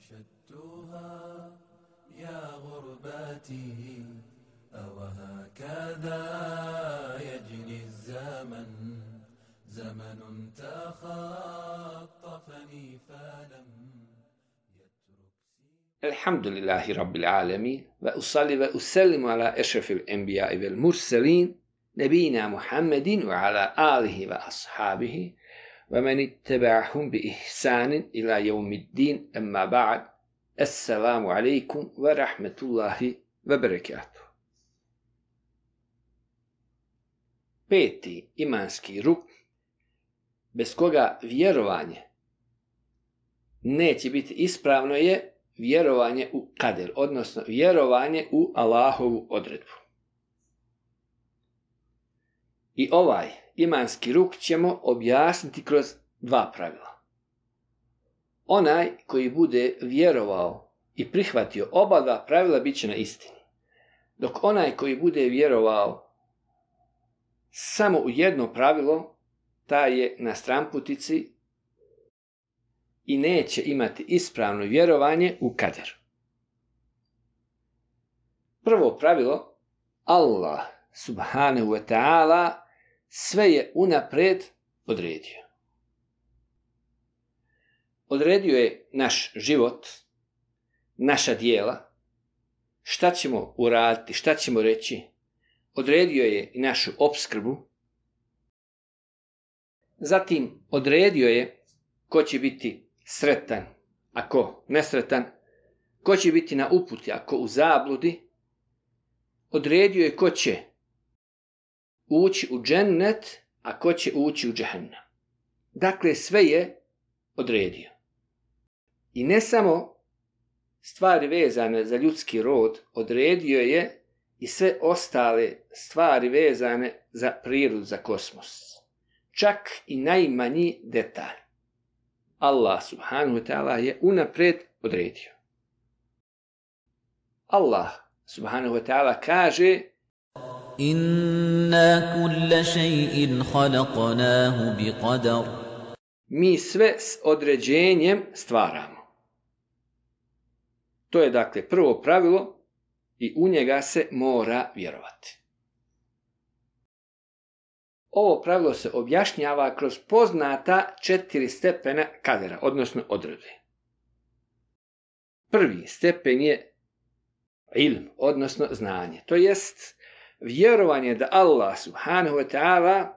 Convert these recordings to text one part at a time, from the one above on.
نشدتها يا غرباتي أوهكذا يجري الزمن زمن تخطفني فلم الحمد لله رب العالمين وأصلي وأسلم على أشرف الأنبياء والمرسلين نبينا محمد وعلى آله وأصحابه ومن اتبعهم بإحسان إلى يوم الدين أما بعد السلام عليكم ورحمة الله وبركاته. Peti imanski rukn bez koga vjerovanje neće biti ispravno je vjerovanje u kader, odnosno vjerovanje u Allahovu odredbu. I ovaj imanski rukn ćemo objasniti kroz dva pravila. Onaj koji bude vjerovao i prihvatio oba dva pravila bit će na istini, dok onaj koji bude vjerovao samo u jedno pravilo, taj je na stranputici i neće imati ispravno vjerovanje u kader. Prvo pravilo, Allah subhanahu wa ta'ala sve je unaprijed odredio. Odredio je naš život, naša djela, šta ćemo uraditi, šta ćemo reći. Odredio je i našu opskrbu. Zatim odredio je ko će biti sretan, a ko nesretan, ko će biti na uputi, a ko u zabludi. Odredio je ko će ući u džennet, a ko će ući u džehennem. Dakle, sve je odredio. I ne samo stvari vezane za ljudski rod, odredio je i sve ostale stvari vezane za prirodu, za kosmos. Čak i najmanji detalj. Allah subhanahu wa ta'ala je unaprijed odredio. Allah subhanahu wa ta'ala kaže: Inna kulla shay'in khalaqnahu biqadar. Mi sve s određenjem stvaramo. To je dakle prvo pravilo i u njega se mora vjerovati. Ovo pravilo se objašnjava kroz poznata 4 stepena kadera, odnosno odredbe. Prvi stepen je ilm, odnosno znanje. To jest vjerovanje da Allah subhanahu wa ta'ala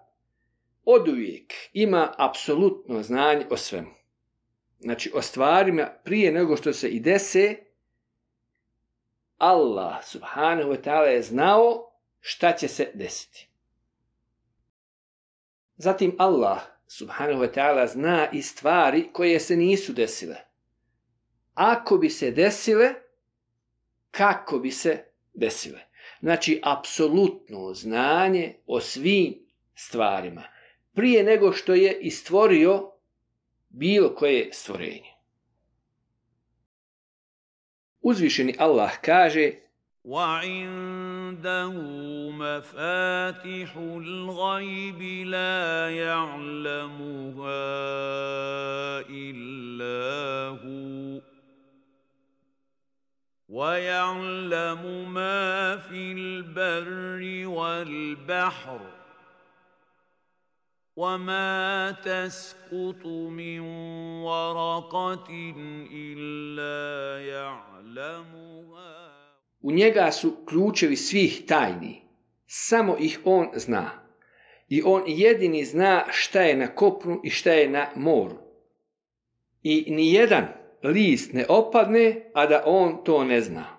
oduvijek ima apsolutno znanje o svemu. Znači o stvarima prije nego što se i dese, Allah subhanahu wa ta'ala je znao šta će se desiti. Zatim Allah subhanahu wa ta'ala zna i stvari koje se nisu desile. Ako bi se desile, kako bi se desile. Znači apsolutno znanje o svim stvarima prije nego što je i stvorio bilo koje stvorenje. Uzvišeni Allah kaže: وَعِندَهُ مَفَاتِحُ الْغَيْبِ لَا يَعْلَمُهَا إِلَّا هُوَ وَيَعْلَمُ مَا فِي الْبَرِّ وَالْبَحْرِ وَمَا تَسْقُطُ مِنْ وَرَقَةٍ إِلَّا يَعْلَمُهَا. U njega su ključevi svih tajni, samo ih on zna. I on jedini zna šta je na kopnu i šta je na moru. I nijedan list ne opadne, a da on to ne zna.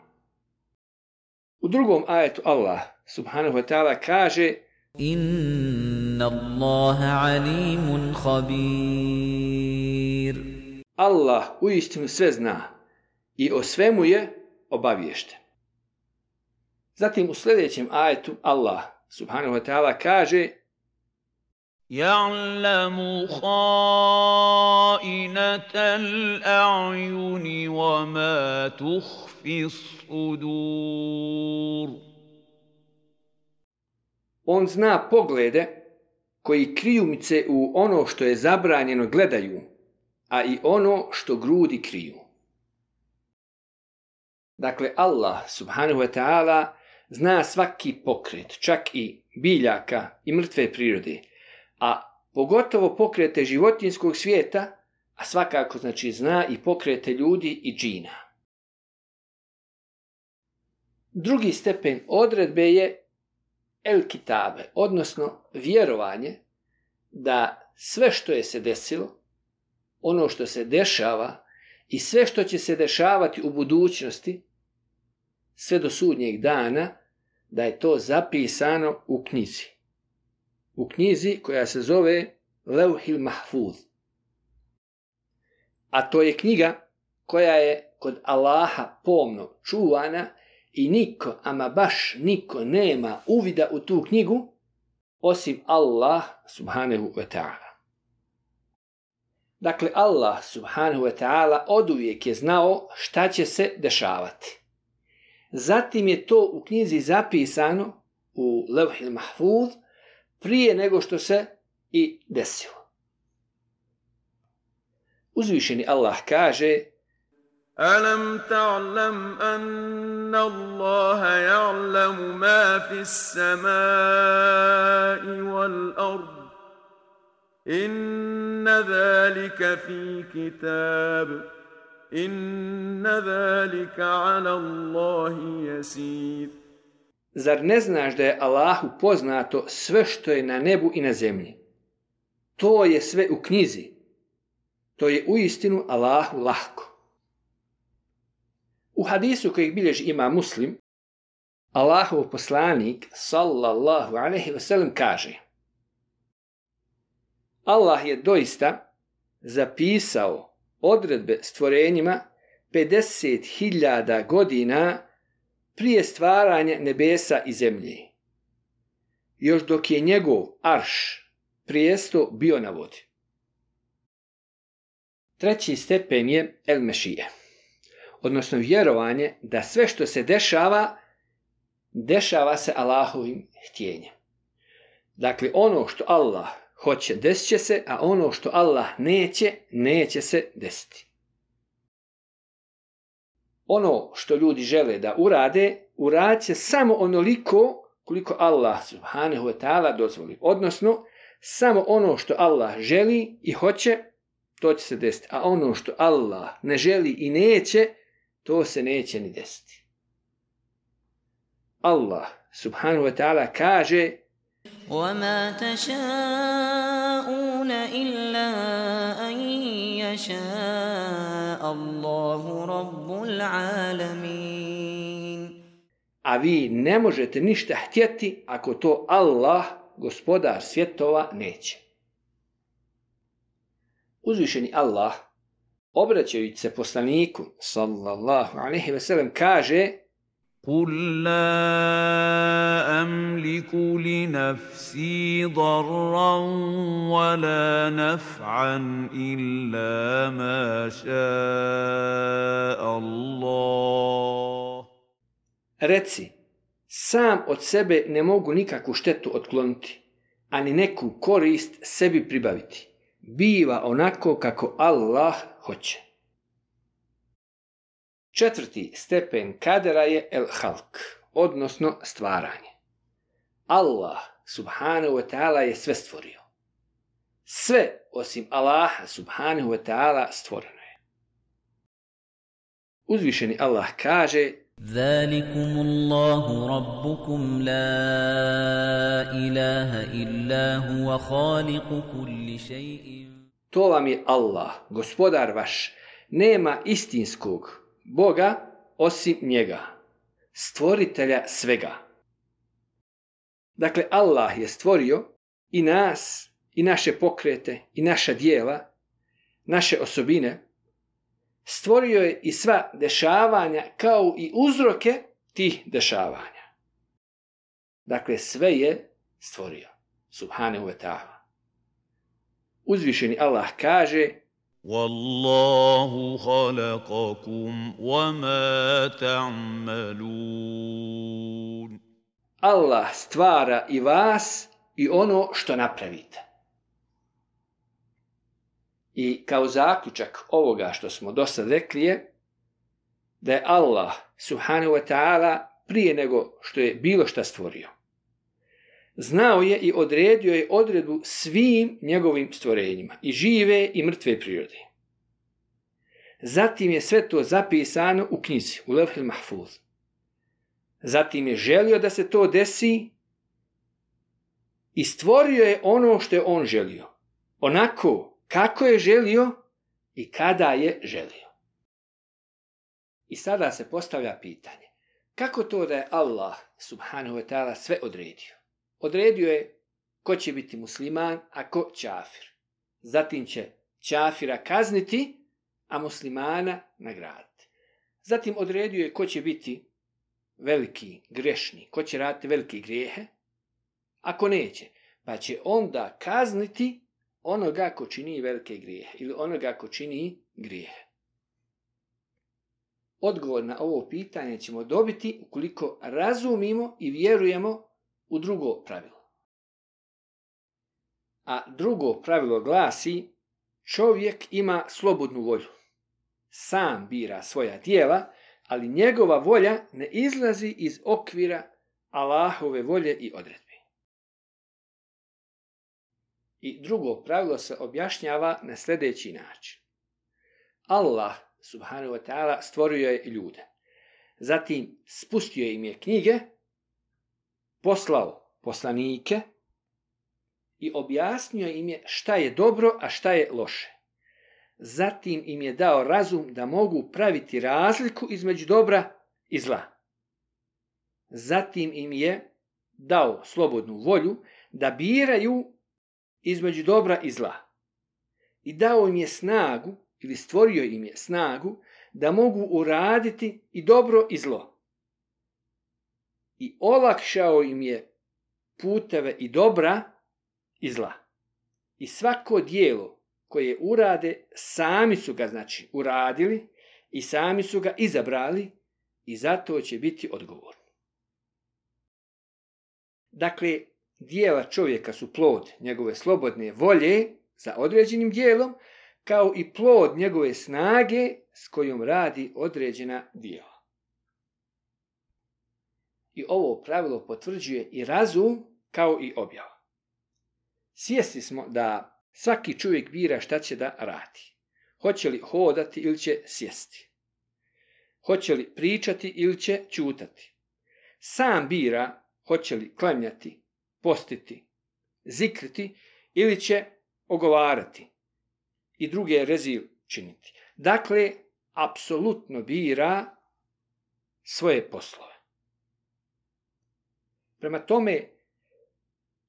U drugom ajetu Allah subhanahu wa ta'ala kaže: Inna Allaha alimun khabir. Allah uistinu sve zna i o svemu je obaviješten. Zatim u sljedećem ajetu Allah subhanahu wa ta'ala kaže: يَعْلَمُ خَائِنَةَ الْأَعْيُنِ وَمَا تُخْفِي الصُّدُورُ. On zna poglede koji krijumice u ono što je zabranjeno gledaju, a i ono što grudi kriju. Dakle, Allah subhanahu wa ta'ala zna svaki pokret, čak i biljaka i mrtve prirode, a pogotovo pokrete životinjskog svijeta, a svakako znači zna i pokrete ljudi i džina. Drugi stepen odredbe je el kitabe, odnosno vjerovanje da sve što je se desilo, ono što se dešava i sve što će se dešavati u budućnosti, sve do sudnjeg dana, da je to zapisano u knjizi. U knjizi koja se zove Levhil Mahfuz. A to je knjiga koja je kod Allaha pomno čuvana i niko, ama baš niko nema uvida u tu knjigu osim Allah subhanahu wa ta'ala. Dakle, Allah subhanahu wa ta'ala oduvijek je znao šta će se dešavati. Zatim je to u knjizi zapisano u Levhil Mahfuz prije nego što se i desilo. Uzvišeni Allah kaže: أَلَمْ تَعْلَمْ أَنَّ اللَّهَ يَعْلَمُ مَا فِي السَّمَاءِ وَالْأَرْضِ إِنَّ ذَلِكَ فِي كِتَابٍ إِنَّ ذَلِكَ عَلَى اللَّهِ يَسِيرٌ. Zar ne znaš da je Allahu poznato sve što je na nebu i na zemlji? To je sve u knjizi. To je uistinu Allahu lahko. U hadisu kojeg bilježi ima Muslim, Allahov poslanik sallallahu alejhi ve sellem kaže: Allah je doista zapisao odredbe stvorenjima 50.000 godina prije stvaranja nebesa i zemlje, još dok je njegov arš, prijesto, bio na vodi. Treći stepen je el mešije, odnosno vjerovanje da sve što se dešava se Allahovim htjenjem. Dakle, ono što Allah hoće, desit će se, a ono što Allah neće se desiti. Ono što ljudi žele da urade, uradit će samo onoliko koliko Allah subhanahu wa ta'ala dozvoli. Odnosno, samo ono što Allah želi i hoće, to će se desiti. A ono što Allah ne želi i neće, to se neće ni desiti. Allah subhanahu wa ta'ala kaže: وَمَا تَشَاءُونَ إِلَّا أَن يَشَاءَ اللَّهُ رَبُّ الْعَالَمِينَ. A vi ne možete ništa htjeti ako to Allah, gospodar svjetova, neće. Uzvišeni Allah, obraćajući se poslaniku sallallahu alejhi ve sellem, kaže: قُلْ لَا أَمْلِكُ لِنَفْسِي ضَرًّا وَلَا نَفْعًا إِلَّا مَا شَاءَ اللَّهُ. Reci, sam od sebe ne mogu nikakvu štetu otkloniti, ani neku korist sebi pribaviti. Biva onako kako Allah hoće. Četvrti stepen kadera je el halk, odnosno stvaranje. Allah subhanahu wa ta'ala je sve stvorio. Sve osim Allaha subhanahu wa ta'ala stvoreno je. Uzvišeni Allah kaže: ذَلِكُمُ اللَّهُ رَبُّكُمْ لَا إِلَهَ إِلَّا هُوَ خَالِقُ كُلِّ شَيْءٍ. To vam je Allah, gospodar vaš, nema istinskog Boga osim njega, stvoritelja svega. Dakle, Allah je stvorio i nas, i naše pokrete, i naša djela, naše osobine. Stvorio je i sva dešavanja kao i uzroke tih dešavanja. Dakle, sve je stvorio. Subhanahu wa ta'ala. Uzvišeni Allah kaže: وَاللَّهُ خَلَقَكُمْ وَمَا تَعْمَلُونَ. Allah stvara i vas i ono što napravite. I kao zaključak ovoga što smo do sad rekli je da je Allah subhanahu wa ta'ala prije nego što je bilo šta stvorio, znao je i odredio je odredbu svim njegovim stvorenjima, i žive i mrtve prirode. Zatim je sve to zapisano u knjizi, u Levhil Mahfuz. Zatim je želio da se to desi i stvorio je ono što je on želio, onako kako je želio i kada je želio. I sada se postavlja pitanje, kako to da je Allah subhanahu wa ta'ala sve odredio? Odredio je ko će biti musliman, a ko čafir. Zatim će čafira kazniti, a muslimana nagraditi. Zatim odredio je ko će biti veliki grešni, ko će raditi velike grijehe, ako neće, pa će onda kazniti onoga ko čini velike grijehe ili onoga ko čini grijehe. Odgovor na ovo pitanje ćemo dobiti ukoliko razumimo i vjerujemo u drugo pravilo. A drugo pravilo glasi: čovjek ima slobodnu volju. Sam bira svoja djela, ali njegova volja ne izlazi iz okvira Allahove volje i odredbe. I drugo pravilo se objašnjava na sljedeći način. Allah subhanahu wa ta'ala stvorio je ljude. Zatim spustio im je knjige, poslao poslanike i objasnio im je šta je dobro, a šta je loše. Zatim im je dao razum da mogu praviti razliku između dobra i zla. Zatim im je dao slobodnu volju da biraju između dobra i zla. I dao im je snagu, ili stvorio im je snagu, da mogu uraditi i dobro i zlo. I olakšao im je puteve i dobra i zla. I svako djelo koje urade, sami su ga uradili i sami su ga izabrali i zato će biti odgovorni. Dakle, djela čovjeka su plod njegove slobodne volje za određenim djelom, kao i plod njegove snage s kojom radi određena djela. I ovo pravilo potvrđuje i razum kao i objava. Svjesni smo da svaki čovjek bira šta će da radi. Hoće li hodati ili će sjesti. Hoće li pričati ili će ćutati. Sam bira hoće li klanjati, postiti, zikriti ili će ogovarati i druge rezil činiti. Dakle, apsolutno bira svoje poslove. Prema tome,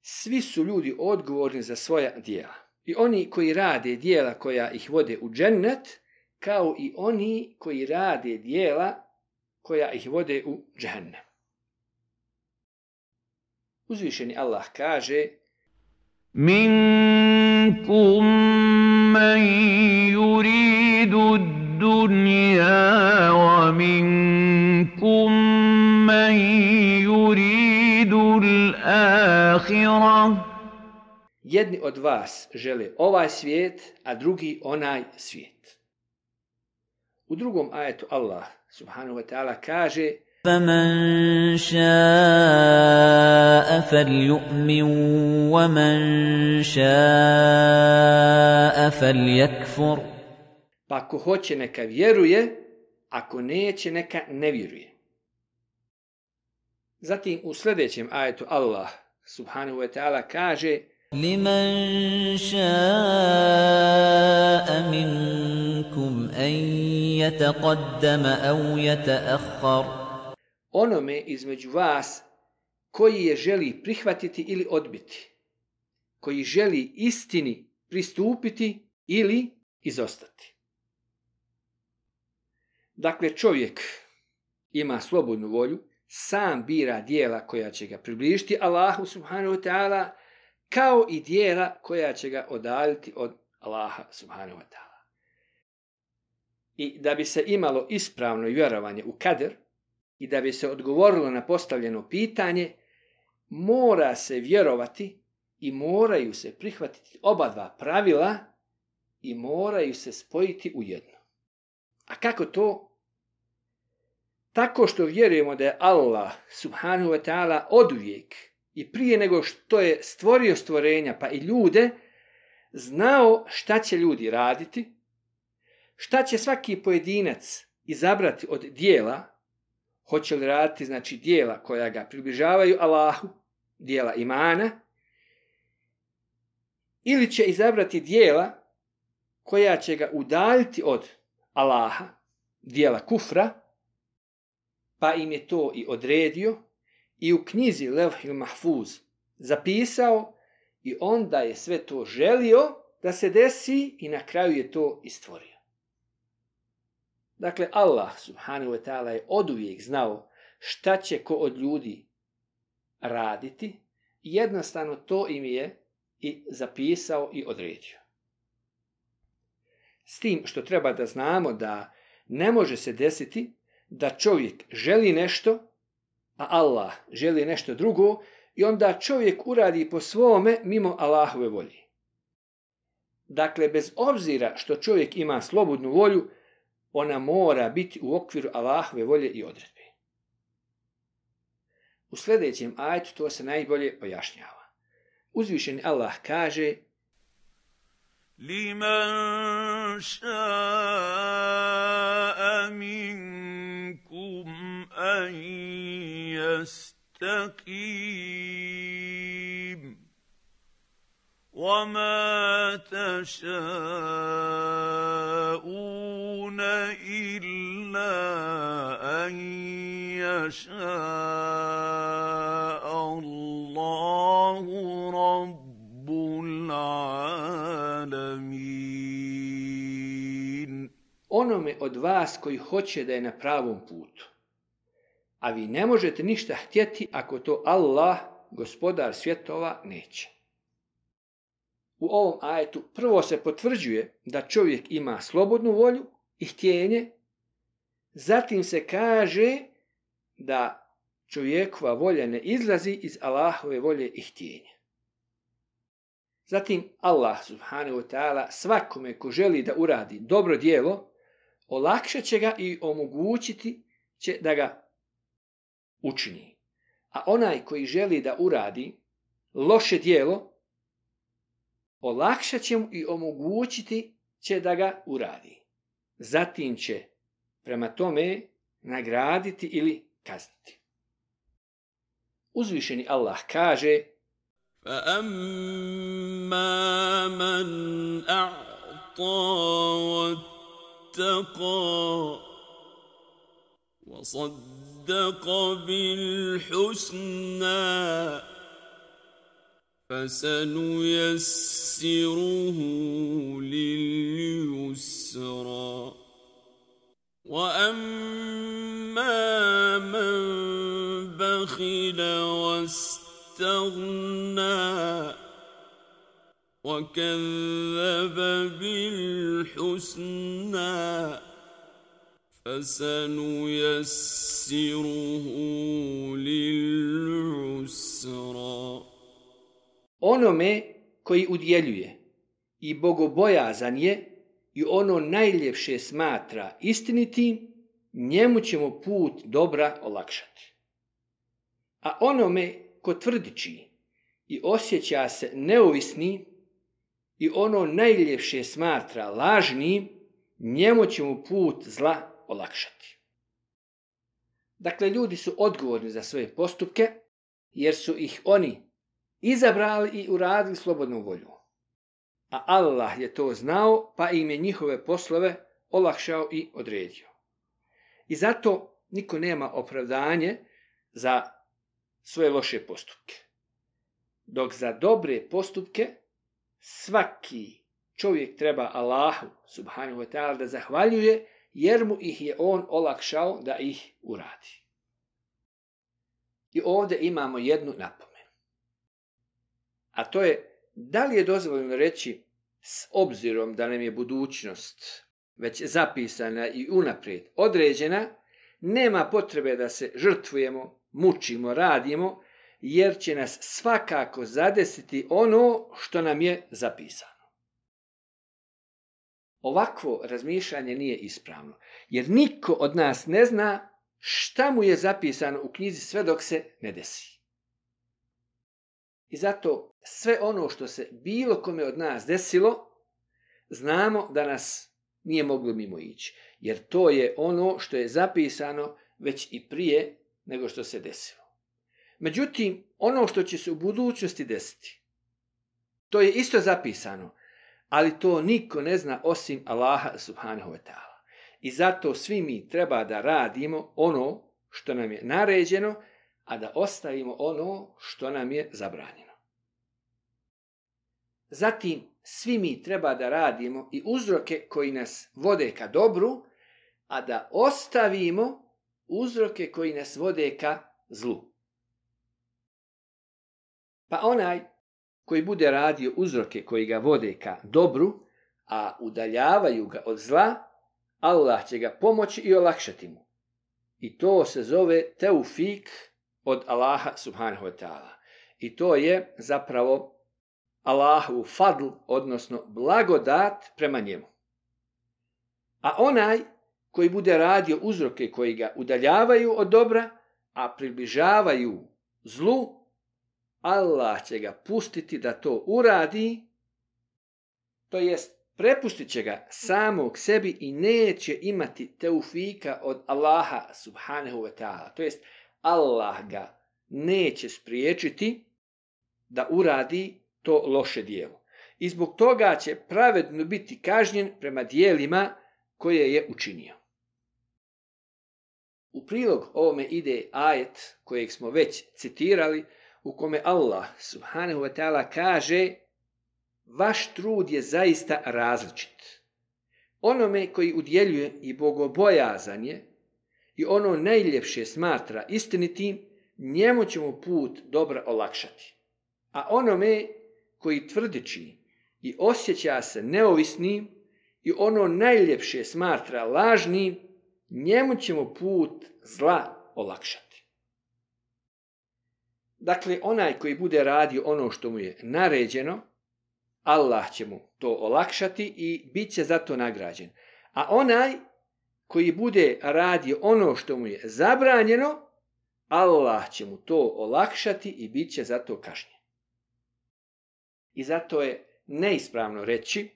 svi su ljudi odgovorni za svoja djela. I oni koji rade djela koja ih vode u džennet, kao i oni koji rade djela koja ih vode u džehennem. Uzvišeni Allah kaže: Minkum man yuridu ad-dunya wa minkum man yuridu al-akhirah. Jedni od vas žele ovaj svijet, a drugi onaj svijet. U drugom ajetu Allah subhanahu wa ta'ala kaže: فَمَنْ شَاءَ فَلْيُؤْمِنْ وَمَنْ شَاءَ فَلْيَكْفُرْ. Pa ako hoće neka vjeruje, ako neće neka ne vjeruje. Zatim u sljedećem ajetu Allah subhanahu wa ta'ala kaže: لِمَنْ شَاءَ مِنْكُمْ أَنْ يَتَقَدَّمَ أَوْ يَتَأَخَّرْ. Onome između vas koji je želi prihvatiti ili odbiti, koji želi istini pristupiti ili izostati. Dakle, čovjek ima slobodnu volju, sam bira djela koja će ga približiti Allahu subhanahu wa ta'ala, kao i djela koja će ga odaljiti od Allaha subhanahu wa ta'ala. I da bi se imalo ispravno vjerovanje u kader i da bi se odgovorilo na postavljeno pitanje, mora se vjerovati i moraju se prihvatiti oba dva pravila i moraju se spojiti u jedno. A kako to? tako što vjerujemo da je Allah subhanahu wa ta'ala oduvijek i prije nego što je stvorio stvorenja pa i ljude, znao šta će ljudi raditi, šta će svaki pojedinac izabrati od dijela, hoće li raditi znači dijela koja ga približavaju Allahu, dijela imana, ili će izabrati dijela koja će ga udaljiti od Allaha, dijela kufra, pa im je to i odredio i u knjizi Levhil Mahfuz zapisao i onda je sve to želio da se desi i na kraju je to i stvorio. Dakle, Allah subhanahu wa ta'ala je oduvijek znao šta će ko od ljudi raditi i jednostavno to im je i zapisao i odredio. S tim što treba da znamo da ne može se desiti da čovjek želi nešto, a Allah želi nešto drugo i onda čovjek uradi po svome mimo Allahove volje. Dakle, bez obzira što čovjek ima slobodnu volju, ona mora biti u okviru Allahove volje i odredbe. U sljedećem ajetu to se najbolje pojašnjava. Uzvišeni Allah kaže: Liman ša'a minkum an yastaqim. وَمَا تَشَاءُونَ إِلَّا أَن يَشَاءَ اللَّهُ رَبُّ الْعَالَمِينَ. Onome od vas koji hoće da je na pravom putu, a vi ne možete ništa htjeti ako to Allah, gospodar svjetova, neće. U ovom ajetu prvo se potvrđuje da čovjek ima slobodnu volju i htjenje, zatim se kaže da čovjekova volja ne izlazi iz Allahove volje i htjenja. Zatim Allah subhanahu wa ta'ala svakome ko želi da uradi dobro djelo, olakšat će ga i omogućiti će da ga učini. A onaj koji želi da uradi loše djelo, olakšat će mu i omogućiti će da ga uradi. Zatim će prema tome nagraditi ili kazniti. Uzvišeni Allah kaže: فَأَمَّا مَنْ أَعْطَى وَاتَّقَى وَصَدَّقَ بِالْحُسْنَى فَسَنُيَسِّرُهُ لِلْيُسْرَى وَأَمَّا مَنْ بَخِلَ وَاسْتَغْنَى وَكَذَّبَ بِالْحُسْنَى فَسَنُيَسِّرُهُ لِلْعُسْرَى. Onome koji udjeljuje i bogobojazan je i ono najljepše smatra istinitim, njemu ćemo put dobra olakšati. A onome ko tvrdiči i osjeća se neovisni i ono najljepše smatra lažnim, njemu ćemo put zla olakšati. Dakle, ljudi su odgovorni za svoje postupke, jer su ih oni izabrali i uradili slobodnom voljom. A Allah je to znao, pa im je njihove poslove olakšao i odredio. I zato niko nema opravdanje za svoje loše postupke. Dok za dobre postupke svaki čovjek treba Allahu subhanahu wa ta'ala da zahvaljuje, jer mu ih je on olakšao da ih uradi. I ovdje imamo jednu napomenu. A to je, da li je dozvoljeno reći s obzirom da nam je budućnost već zapisana i unaprijed određena, nema potrebe da se žrtvujemo, mučimo, radimo, jer će nas svakako zadesiti ono što nam je zapisano. Ovakvo razmišljanje nije ispravno, jer niko od nas ne zna šta mu je zapisano u knjizi sve dok se ne desi. I zato sve ono što se bilo kome od nas desilo, znamo da nas nije moglo mimo ići. Jer to je ono što je zapisano već i prije nego što se desilo. Međutim, ono što će se u budućnosti desiti, to je isto zapisano, ali to niko ne zna osim Allaha subhanahu wa ta'ala. I zato svi mi treba da radimo ono što nam je naređeno, a da ostavimo ono što nam je zabranjeno. Zatim, svi mi treba da radimo i uzroke koji nas vode ka dobru, a da ostavimo uzroke koji nas vode ka zlu. Pa onaj koji bude radio uzroke koji ga vode ka dobru, a udaljavaju ga od zla, Allah će ga pomoći i olakšati mu. I to se zove teufik od Allaha subhanahu wa ta'ala. I to je zapravo Allahu fadl, odnosno blagodat prema njemu. A onaj koji bude radio uzroke koji ga udaljavaju od dobra, a približavaju zlu, Allah će ga pustiti da to uradi, to jest prepustit će ga samog sebi i neće imati teufika od Allaha subhanahu wa ta'ala. To jest Allah ga neće spriječiti da uradi to loše djelo. I zbog toga će pravedno biti kažnjen prema djelima koje je učinio. U prilog ovome ide ajet kojeg smo već citirali, u kome Allah subhanahu wa ta'ala kaže: vaš trud je zaista različit. Onome koji udjeljuje i bogobojazan je i ono najljepše smatra istinitim, njemu ćemo put dobra olakšati. A onome koji tvrdiči i osjeća se neovisnim i ono najljepše smatra lažnim, njemu ćemo put zla olakšati. Dakle, onaj koji bude radio ono što mu je naređeno, Allah će mu to olakšati i bit će za to nagrađen. A onaj koji bude radio ono što mu je zabranjeno, Allah će mu to olakšati i bit će za to kažnjen. I zato je neispravno reći: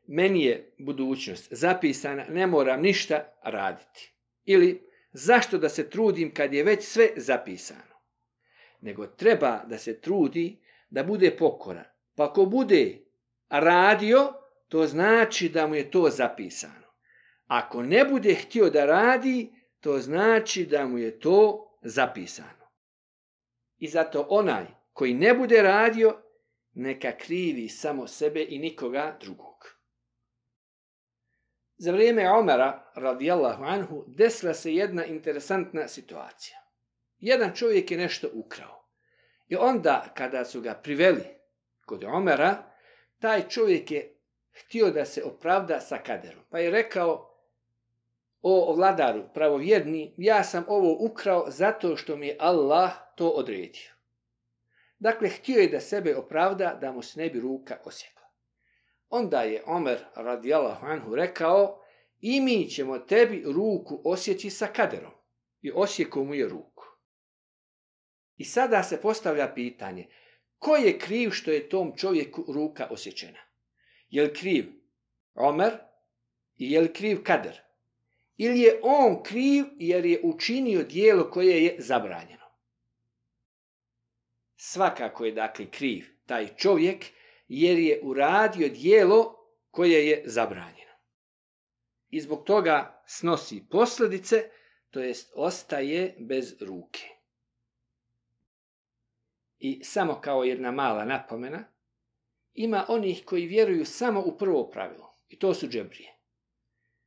meni je budućnost zapisana, ne moram ništa raditi. Ili zašto da se trudim kad je već sve zapisano? Nego treba da se trudi da bude pokoran. Pa ako bude radio, to znači da mu je to zapisano. Ako ne bude htio da radi, to znači da mu je to zapisano. I zato onaj koji ne bude radio, neka krivi samo sebe i nikoga drugog. Za vrijeme Omara radijallahu anhu desila se jedna interesantna situacija. Jedan čovjek je nešto ukrao. I onda kada su ga priveli kod Omara, taj čovjek je htio da se opravda sa kaderom. Pa je rekao: o vladaru pravovjerni, ja sam ovo ukrao zato što mi je Allah to odredio. Dakle, htio je da sebe opravda da mu se ne bi ruka osjekla. Onda je Omer radijallahu anhu rekao: i mi ćemo tebi ruku osjeći sa kaderom. I osjekao mu je ruku. I sada se postavlja pitanje: ko je kriv što je tom čovjeku ruka osjećena? Je li kriv Omer i je li kriv kader? Ili je on kriv jer je učinio djelo koje je zabranjeno? Svakako je dakle kriv taj čovjek jer je uradio djelo koje je zabranjeno. I zbog toga snosi posljedice, to jest ostaje bez ruke. I samo kao jedna mala napomena, ima onih koji vjeruju samo u prvo pravilo, i to su džebrije.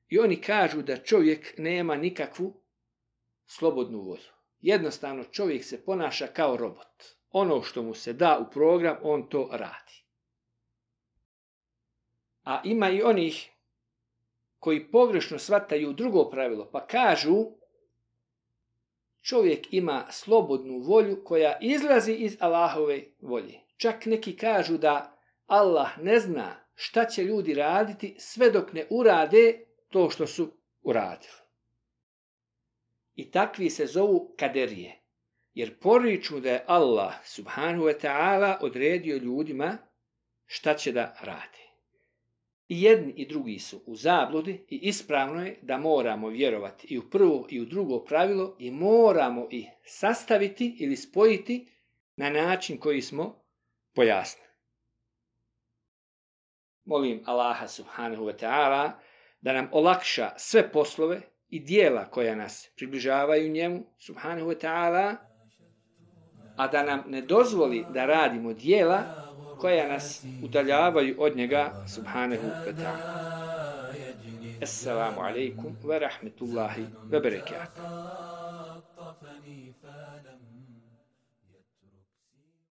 I oni kažu da čovjek nema nikakvu slobodnu volju. Jednostavno čovjek se ponaša kao robot. Ono što mu se da u program, on to radi. A ima i onih koji pogrešno shvataju drugo pravilo, pa kažu: čovjek ima slobodnu volju koja izlazi iz Allahove volje. Čak neki kažu da Allah ne zna šta će ljudi raditi sve dok ne urade to što su uradili. I takvi se zovu kaderije. Jer poriču da je Allah subhanahu wa ta'ala odredio ljudima šta će da rade. I jedni i drugi su u zabludi i ispravno je da moramo vjerovati i u prvo i u drugo pravilo i moramo ih sastaviti ili spojiti na način koji smo pojasnili. Molim Allaha subhanahu wa ta'ala da nam olakša sve poslove i dijela koja nas približavaju njemu subhanahu wa ta'ala, a da nam ne dozvoli da radimo dijela koja nas udaljavaju od njega subhanahu wa ta'ala. Assalamu alaikum wa rahmetullahi wa barakatuh.